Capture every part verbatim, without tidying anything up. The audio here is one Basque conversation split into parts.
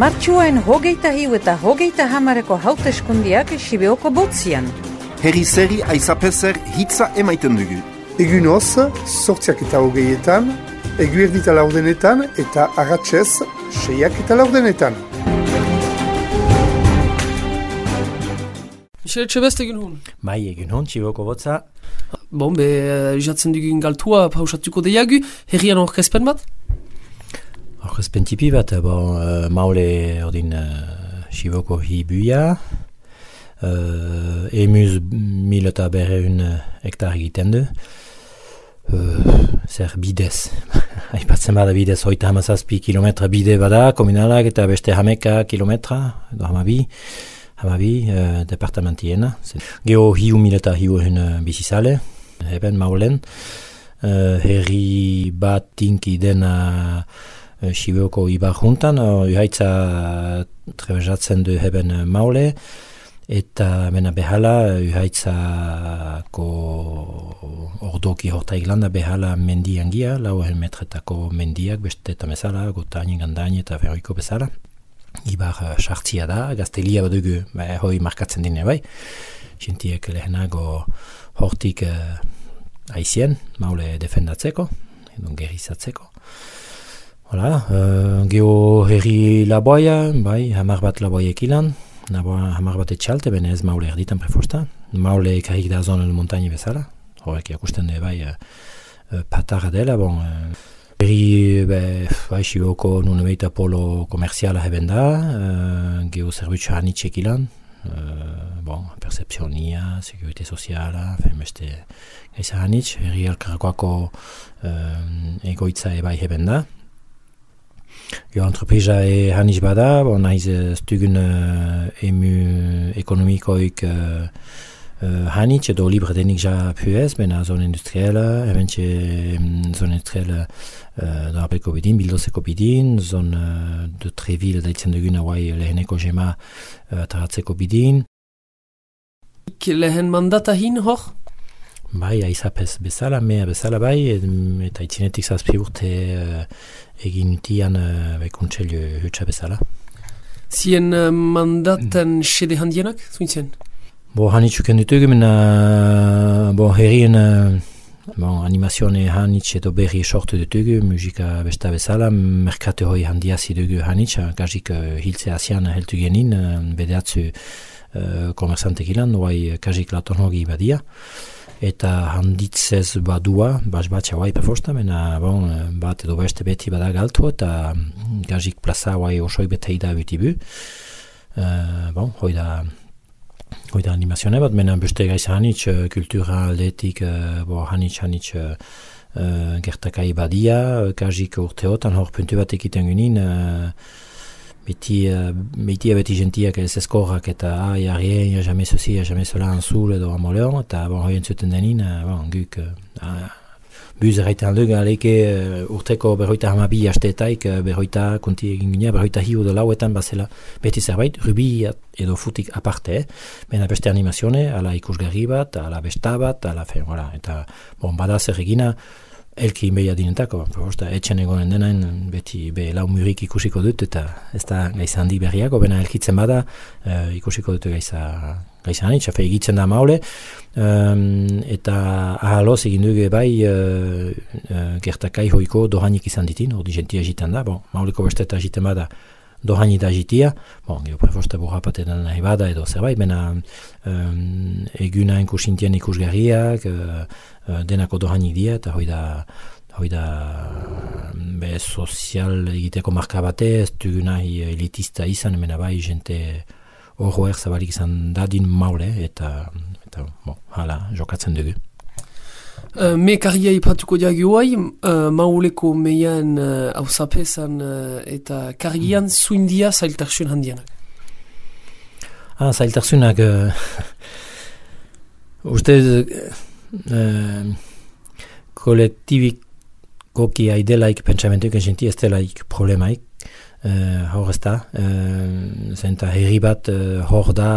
Martxuain hogeita hiu eta hogeita hamareko hauteskundiak Sibeoko botzian. Herri zeri aizapezer hitza emaiten dugu. Egunoz, sortziak eta hogeietan, eguerdita laurdenetan eta agatzez seiak eta laurdenetan. Michel Etxebest egin hon? Bai, egin hon, Sibeoko botza. Bon, be, jatzen dugun galtua pausatuko deiagu, herrian orkezpen bat? Orkezpen tipi bat, bon, uh, maule ordin uh, Sibeoko hibuia, uh, emuz mil eta berreun hektar egiten du, uh, zer bidez, aipatzen bada bidez, hoita hamazazpi kilometra bide bada, komunalak eta beste hameka kilometra, edo hamabi, hamabi, uh, departamentiena. Geho hiu mil eta hiu uh, bizizale, heben maulen, uh, herri bat tinki dena Sibeoko ibar juntan, uhaitza trebezatzen du heben maule, eta mena behala uhaitzako ordoki horta iglanda behala mendian gia, lau metretako mendiak, beste eta mesala, gotaini, gandaini eta ferroiko bezala. Ibar sartzia da, gaztelia badugu, ba, hoi markatzen dine bai, xintiek lehenago hortik uh, aizien, maule defendatzeko, edo gerizatzeko. Hola, uh, geho herri laboia, bai, hamar bat laboiek ilan, hamar bat etxalte, bene ez maule erditan prefosta. Maule ekarrik da zonen montagne bezala, horrek jakusten du bai, uh, uh, patarra dela, bon, uh, herri, bai, Sibeoko nune beita polo komerziala heben da, uh, geho zerbutxo hanitxek ilan, uh, bon, percepzionia, sekurite soziala, femeste gaisa hanitx, herri alkarrakoako uh, egoitza ebai heben da. Jo, entreprisa e haniz bada, bon, naiz ez dugun uh, emu ekonomikoik uh, uh, hanitz edo libre denik ja puez, bena zon industriela, ebentxe um, zon industriela uh, darabeko bidin, bildozeko bidin, zon uh, de Treville daitzen dugun hauai leheneko jema uh, taratzeko bidin. Lehen mandata hin hor? Bai, aizapez bezala, mea bezala bai, eta itzinetik zazpi urte uh, egin tian uh, bekuntxelio hutsa bezala. Zien uh, mandaten xede handienak, zuintzen? Bo, hanitxuken ditugu, mena, bo, herrien uh, bon, animazione hanitx edo berri sortu ditugu, musika besta bezala, merkate hoi handiazi dugu hanitx, gazik uh, hiltze asian heltu genin, uh, bedeatzu uh, komersantek ilan, oai gazik laton hogi badia. Eta handitzez badua, bas batxa guai pefosta, mena bon, bat edo beste beti bada galtu, eta gazik plaza guai osoi betei da butibu. Uh, bon, hoi da, hoi da animazione bat, mena beste gaiz hanitz, kultura aldetik, uh, bo hanitz hanitz uh, gertakai badia, gazik urteotan hor puntu bat ekiten gunin, uh, beti, uh, beti beti gentiak ez eskorrak eta ah, ya rien, ya jamais ceci, ya jamais cela anzul edo amoleon, eta bon, hoi entzuten denin, uh, bon, guk, uh, buz erraiten duk, aleke uh, urteko berroita hamabi asteetaik, uh, berroita konti egin gina, berroita hiu edo lauetan bazela beti zerbait, rubi edo futik aparte, eh? Bena beste animazione, ala ikusgarri bat, ala besta bat, ala fen, voilà, eta bon, bada zer egina, elki inbeia dinentako, proposta, etxen egonen denain, beti be lau murik ikusiko dut, eta ez da gaiza handi berriako, bena elkitzen bada, uh, ikusiko dut gaiza, gaiza hanitz, afe egitzen da maule, um, eta ahaloz egin dugu bai uh, uh, gertakai hoiko dohanik izan ditin, hori gentia egiten da, bon, mauleko beste eta egiten bada, dohani da jitia, bon, gero prefosta borrapatetan nahi bada edo zerbait, bena um, eguna inkusintien ikusgarriak, uh, uh, denako dohani dia, eta hoi da, hoi da be sozial egiteko marka bate, ez dugu nahi elitista izan, mena bai jente horro erzabalik izan dadin maule, eta, eta bon, hala, jokatzen dugu. Uh, me karria ipatuko diagu guai, uh, mauleko meian hausapezan uh, uh, eta karrian mm. zuindia zailtarsun handienak. Ah, zailtarsunak uh, uste uh, kolektibikoki aidelaik pentsamentuik enxinti ez delaik problemaik, uh, hor ez da, uh, zenta herri bat uh, hor da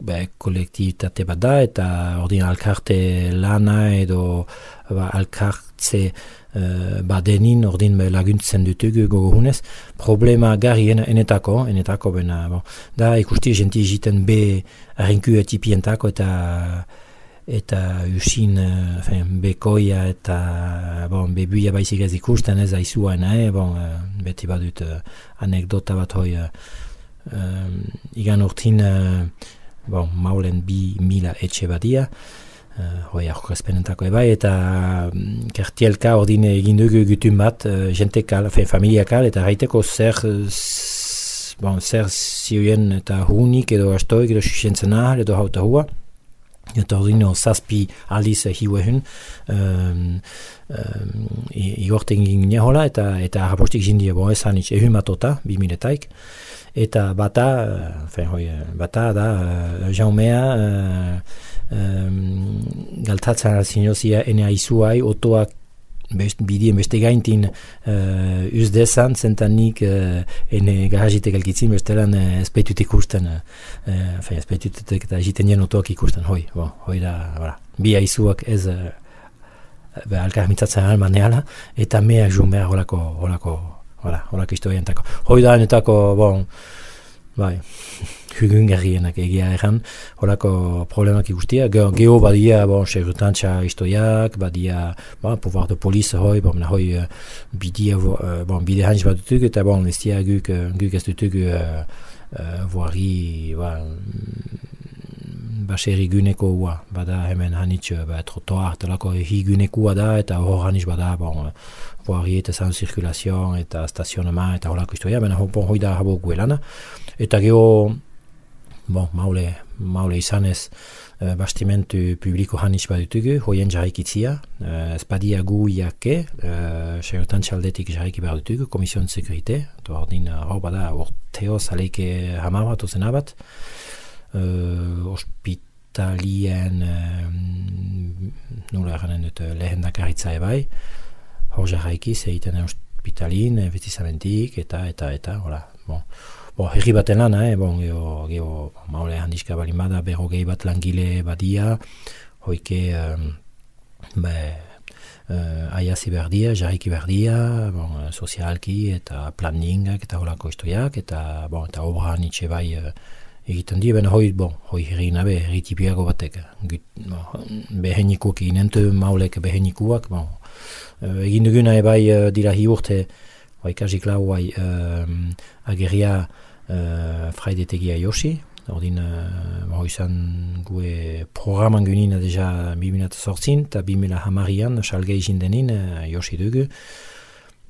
be, kolektibitate bat da, eta ordin alkarte lana edo ba, alkartze uh, badenin ordin be, laguntzen dutugu gogohunez. Problema gari en, enetako, enetako bena, bon, da ikusti jenti egiten be arrinku etipientako eta eta usin uh, bekoia eta bon, bebuia baizik ez ikusten ez aizuaena, eh? Bon, uh, beti badut uh, anekdota bat hoi uh, uh, igan urtin uh, bon, maulen bi mila etxe badia, uh, hoi aurkezpenentako ebai, eta um, kertielka ordine egin dugu gutun bat, uh, jentekal, familiakal, eta gaiteko zer, s, bon, zer zioen eta hunik edo astoik edo susentzen ahal edo hauta hua. Eta ordino zazpi aldiz hiuehun um, um, igorten gine hola eta eta harrapostik jindia bo esan itx ehun matota, bi miletaik. Eta bata, uh, hoi, bata da uh, jaumea uh, um, galtatzen zinozia ene aizuai otoak Best, bidien beste gaintin uh, uz dezan, zentanik uh, ene garajitek elkitzin bestelan uh, espeitutik ikusten, uh, espeitutik eta egiten jen otoak ikusten, hoi, bo, hoi da, bera, bi aizuak ez uh, alkar mitzatzen alman neala, eta mea jumea holako, holako, hola, holako historientako. Hoi da, enetako, bon, bai, hugun gerrienak egia erran, holako problemak ikustia. Geho badia, bon, segurtantza historiak, badia, bon, pouvoir de police hoi, bon, hoi uh, bidia, uh, bon, bide hanitz bat dutuk, eta bon, ez dia guk, guk ez dutuk uh, uh, voari, ba, baseri guneko hua, bada hemen hanitz, ba, trotoar, telako higunekua da, eta hor hanitz bada, bon, voari eta zan zirkulazion, eta stazionama, eta holako historia, baina bon, hoi da habo guelana. Eta geho, bon, maule, maule izanez uh, bastimentu publiko hanitz badutugu, hoien jarraikitzia, uh, espadia gu iake, uh, segurtan txaldetik jarraiki behar dutugu, Komision de Sekurite, eta ordin hor uh, bada orteo zaleike hamar bat ozen abat, uh, hospitalien, uh, nula eranen dut lehen dakaritza ebai, hor jarraikiz egiten hospitalin, investizamentik, eta, eta, eta, hola, bon. Bo, herri baten lan, eh? Bon, geho, geho, maule handizka balin bada, berrogei bat langile badia, hoike, um, be, uh, aiazi berdia, jarriki berdia, bon, sozialki eta planningak eta holako historiak, eta, bon, eta obra nitxe bai uh, egiten di, bena hoi, bon, hoi herri nabe, herri tipiago batek, gut, bon, behenikuak egin entu, maulek behenikuak, bon, uh, egin duguna ebai uh, dira hi urte, hoi kasik lau, hoi uh, ageria Uh, fraidetegia josi, ordin uh, hoi izan gue programan gunina deja bi mila zortzin eta bi mila hamarian salgei jindenin uh, josi dugu.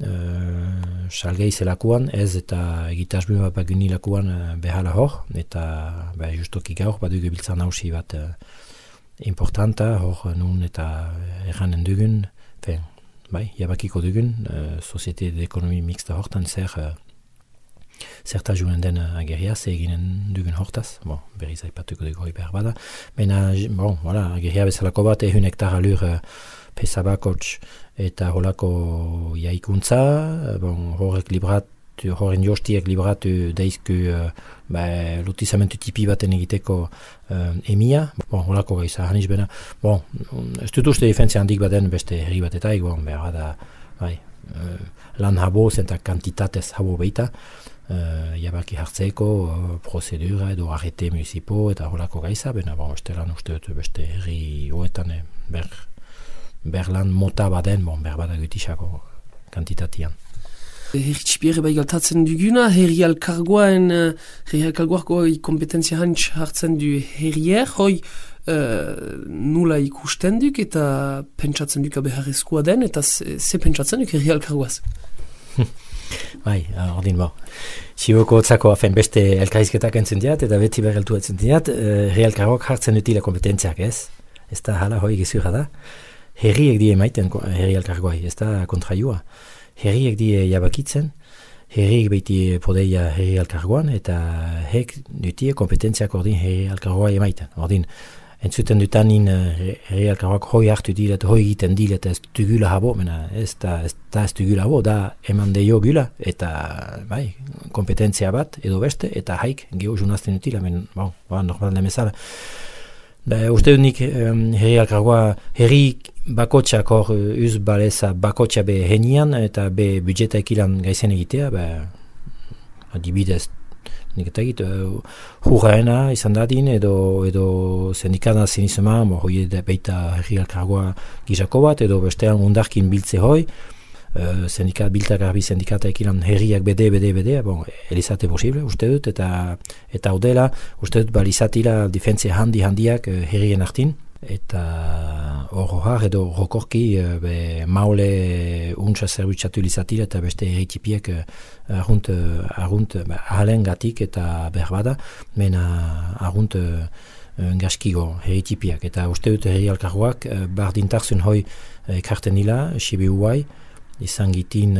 Uh, salgei zelakuan ez eta egitasbun bat baguni lakuan uh, behala hor, eta bah, justoki gaur bat dugu biltzan hausi bat uh, importanta, hor nun eta erranen dugun, fen, bai, jabakiko dugun, uh, Societe de Ekonomi Mixta hortan zer uh, zerta juen den ageria, ze eginen dugun hortaz, bon, berriz aipatuko dugu hoi behar bada. Baina, bon, voilà, ageria bezalako bat, ehun hektar alur uh, pesabakots eta holako jaikuntza, bon, horrek libratu, horren jostiek libratu deizku uh, ba, lotizamentu tipi baten egiteko uh, emia, bon, holako gaiza, haniz bena, bon, ez dut uste defentzia handik baten beste herri batetaik, bon, behar bada, bai, uh, lan habo zenta kantitatez habo beita, Uh, jabaki hartzeko uh, prozedura edo arrete municipo eta holako gaiza, bena bon, estelan uste dut beste herri hoetan eh, ber, berlan mota baden, bon, ber bada gutisako kantitatian. Herri txipiere bai galtatzen duguna, herri alkargoen, herri alkargoako kompetentzia hantz hartzen du herrier, hoi uh, nula ikusten duk eta pentsatzen duk beharrezkoa den, eta ze, ze pentsatzen duk herri alkargoaz? Bai, ordin bo. Siboko otzako afen beste elkarrizketak entzun diat, eta beti berreltu entzun diat, uh, herri alkargoak hartzen dutila kompetentziak, ez? Ez da hala hoi gezurra da. Herriek die maiten herri alkargoai, ez da kontraiua. Herriek die jabakitzen, herriek beti podeia herri alkargoan, eta hek dutie kompetentziak ordin herri alkargoai emaiten. Ordin, entzuten dutanin herri elkargoak hoi hartu dira eta hoi egiten dira eta ez dugula habo, mena ez da ez, da ez dugula habo, da eman deio gula eta bai, kompetentzia bat edo beste eta haik geho junazten utila, men, bon, ba, normal demezala. Ba, uste dut nik um, herri elkargoa herri bakotxak hor uz baleza bakotxa be henian eta be budjeta ekilan gaizen egitea, ba, adibidez nik eta egit, uh, hurraena izan dadin edo, edo sindikana zinizema, hoi beita herri elkargoa gizako bat, edo bestean undarkin biltze hoi, uh, sindikat, bilta garbi sindikata ekilan herriak bede, bede, bede, bon, elizate posible, uste dut, eta eta udela, uste dut, balizatila difentzia handi handiak uh, herrien artin, eta hor har edo rokorki be maule untsa zerbitzatu lizatila eta beste herritipiek argunt, argunt ahalen gatik eta berbada, mena argunt gaskigo herritipiak. Eta uste dut herri elkargoak bardintarzun hoi ekarten nila, sibi huai, izan gitin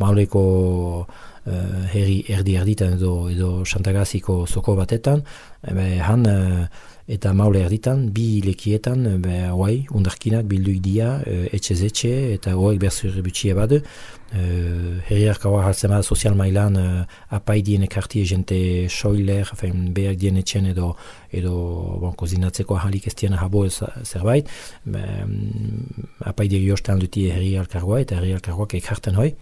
mauleko Uh, herri erdi erditan edo, edo Santagaziko zoko batetan, ebe, han uh, eta maule erditan, bi lekietan, be, oai, undarkinak bilduik dia, uh, etxez etxe, eta oaik berzur butxie badu, uh, herri elkargoa hartzen bada sozial mailan uh, apaidien ekartie jente soiler, fein, behar dien etxen edo, edo bon, kozinatzeko ahalik ez diena habo zerbait, be, um, apaidiek jostan duti herri elkargoa, eta herri elkargoak ekarten hoi,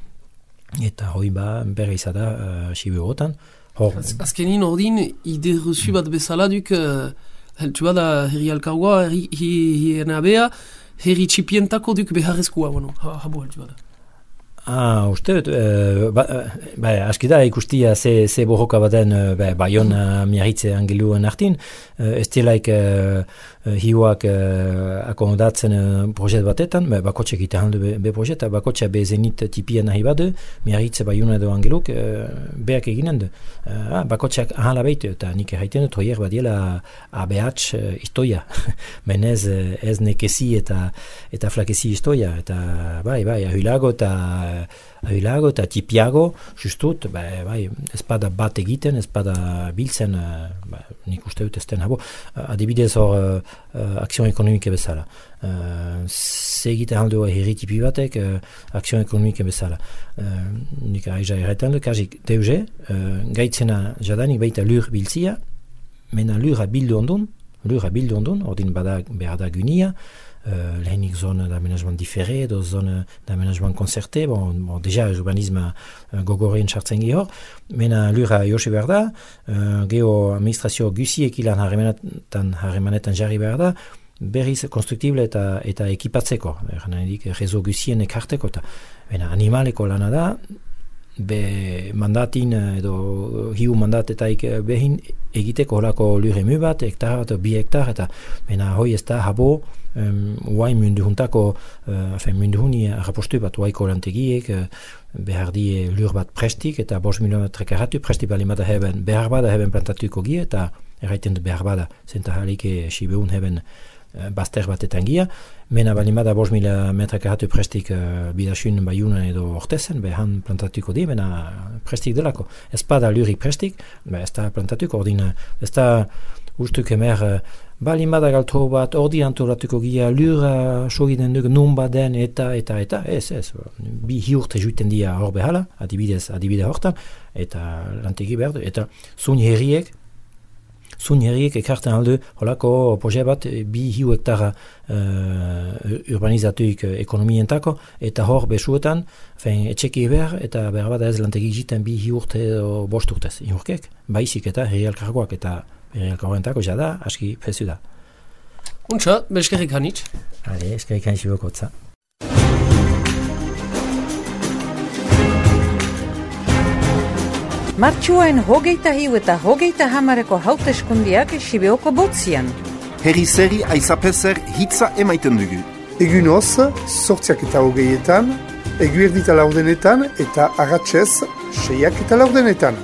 eta hoi ba berra izada uh, sibi horretan. Az, azkenin ordin ide rezu bat bezala duk uh, heltu bada herri elkargoa, herri hienabea, herri txipientako duk beharrezkoa, bueno, habo heltu bada. Ah, uste dut, uh, ba, ba, aski da ikustia ze, ze borroka baden ba, baion uh, miarritze angeluen artin, uh, ez dielaik uh, hiuak uh, akomodatzen uh, projet batetan, ba, bakotxek ite handu be, be projeta, bakotxa be zenit tipien nahi badu, miarritze baion edo angeluk, uh, beak eginen du. Uh, ah, bakotxak ahala behitu, eta nik erraiten dut, hoier badiela A B H uh, istoia, menez ez nekezi eta, eta flakezi istoia, eta bai, bai, ahilago eta ahilago eta tipiago, justut, ba, bai, ez bada bat egiten, ez bada biltzen, ba, nik uste dut ez den habo. Adibidez hor, uh, akzion ekonomike bezala. Uh, ze egiten aldo herri tipi batek, uh, akzion ekonomike bezala. Uh, nik aiza erretan du, kazik deuze, uh, gaitzena jadanik baita lur biltzia, mena lura bildu ondun, lura bildu ondun, ordin bada behar da gunia, Uh, lehenik zone d'aménagement diferé, edo zone d'aménagement concerté, bon, bon deja urbanisme uh, gogorein sartzen gehor, mena lura josi behar da, uh, geho administrazio guziek ilan harremanetan, harremanetan jarri behar da, berriz konstruktible eta, eta ekipatzeko, eran edik rezo guzien ekarteko, eta mena animaleko lana da, be mandatin edo hiu mandatetaik behin egiteko holako luremu bat, hektar bat, bi hektar, eta mena hoi ez da habo um, uai mundu juntako, uh, mundu juni arrapostu bat uaiko lantegiek, uh, behar die lur bat prestik, eta bos kilometrek erratu, presti bali bada heben, behar bada heben plantatuko gie, eta erraiten du behar bada, zenta halike sibeun heben bazter batetan gia, mena balimada bos mila metrek erratu prestik uh, bidasun baiuna edo ortezen, behan plantatuko di, mena prestik delako. Ez bada lurik prestik, be ez da plantatuko, ordin, ez da ustuk emer, uh, balimada galto bat, ordi antolatuko gia, lura sogiden duk nun baden, eta, eta, eta, ez, ez, bi hiurte juiten dia hor behala, adibidez, adibide hortan, eta lantegi behar du, eta zun herriek, Zun herriek ekarten aldu, holako proje bat, bi hiu hektara uh, urbanizatuik ekonomientako, eta hor besuetan, fein, etxeki behar, eta behar bat ez lantegi jiten bi hiu urte o bost urtez. Inurkek, baizik eta herri elkargoak eta herri elkargoentako jada, aski fezu da. Untsa, beskerrik hanitz. Hale, eskerrik hanitz bokotza. Martxuaen hogeita hiu eta hogeita hamareko hauteskundiak Sibeoko botzian. Herri zeri aizapezer hitza emaiten dugu. Egunoz, sortziak eta hogeietan, eguerdita laurdenetan eta agatzez, seiak eta laurdenetan.